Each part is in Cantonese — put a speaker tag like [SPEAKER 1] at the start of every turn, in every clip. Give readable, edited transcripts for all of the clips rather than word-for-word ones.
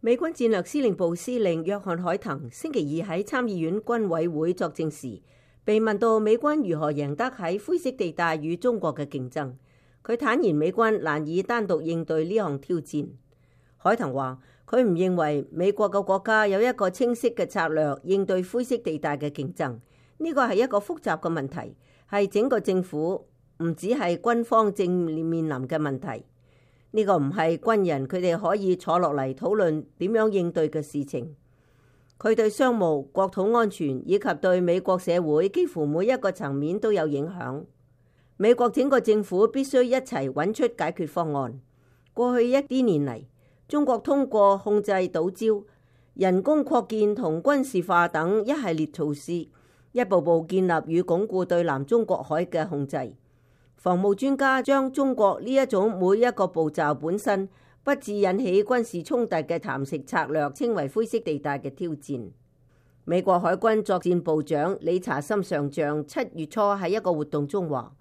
[SPEAKER 1] 美軍戰略司令部司令約翰海騰星期二喺參議院軍委會作證時，被問到美軍如何贏得喺灰色地帶與中國嘅競爭，佢坦言美軍難以單獨應對呢項挑戰。海騰話：佢唔認為美國嘅國家有一個清晰嘅策略應對灰色地帶嘅競爭，呢個係一個複雜嘅問題，係整個政府唔只係軍方正面臨嘅問題。呢個唔係軍人佢哋可以坐落嚟討論點樣應對嘅事情。佢對商務、國土安全以及對美國社會幾乎每一個層面都有影響。美國整個政府必須一齊揾出解決方案。過去一啲年嚟，中國通過控制島礁、人工擴建同軍事化等一系列措施，一步步建立與鞏固對南中國海嘅控制。防務專家將中國呢一種每一個步驟本身不致引起軍事衝突嘅蠶食策略稱為灰色地帶嘅挑戰。美國海軍作戰部長理查森上將7月初喺一個活動中話：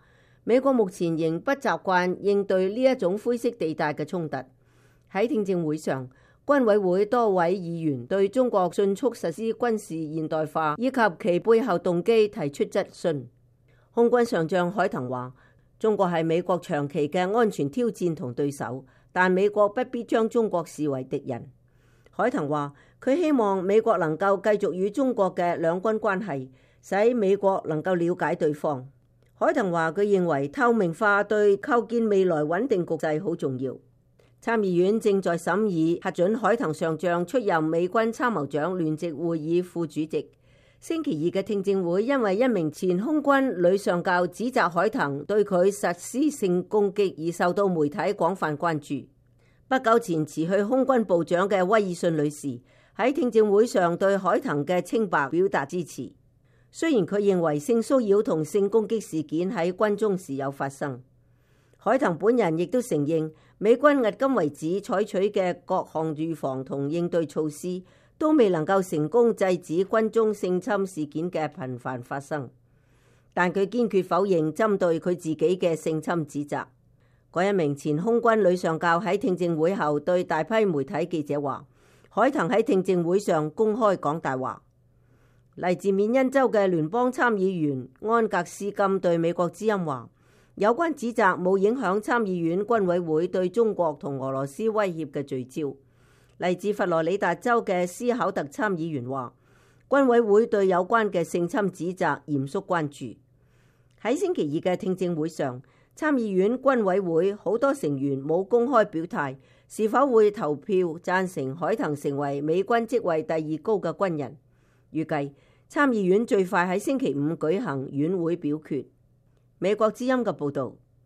[SPEAKER 1] 美國目前仍不習慣應對呢一種灰色地帶嘅衝突。喺聽證會上，軍委會多位議員對中國迅速實施軍事現代化以及其背後動機提出質詢。空軍上將海騰話：中國係美國長期嘅安全挑戰同對手，但美國不必將中國視為敵人。海騰話：佢希望美國能夠繼續與中國嘅兩軍關係，使美國能夠了解對方。海騰話：佢認為透明化對構建未來穩定局勢好重要。參議院正在審議核准海騰上將出任美軍參謀長聯席會議副主席。星期二嘅聽證會因為一名前空軍女上校指責海騰對佢實施性攻擊而受到媒體廣泛關注。不久前辭去空軍部長嘅威爾遜女士喺聽證會上對海騰嘅清白表達支持。雖然佢認為性騷擾同性攻擊事件喺軍中時有發生，海騰本人亦都承認美軍迄今為止採取嘅各項預防同應對措施都未能夠成功制止軍中性侵事件嘅頻繁發生，但佢堅決否認針對佢自己嘅性侵指責。嗰一名前空軍女上校喺聽證會後對大批媒體記者話：海騰喺聽證會上公開講大話。嚟自緬因州嘅聯邦參議員安格斯金對美國之音話：有關指責冇影響參議院軍委會對中國同俄羅斯威脅嘅聚焦。嚟自佛羅里達州嘅斯考特參議員話：軍委會對有關嘅性侵指責嚴肅關注。喺星期二嘅聽證會上，參議院軍委會好多成員冇公開表態是否會投票贊成海騰成為美軍職位第2高嘅軍人。預計參議院最快喺星期5舉行院會表決。美國之音嘅報導。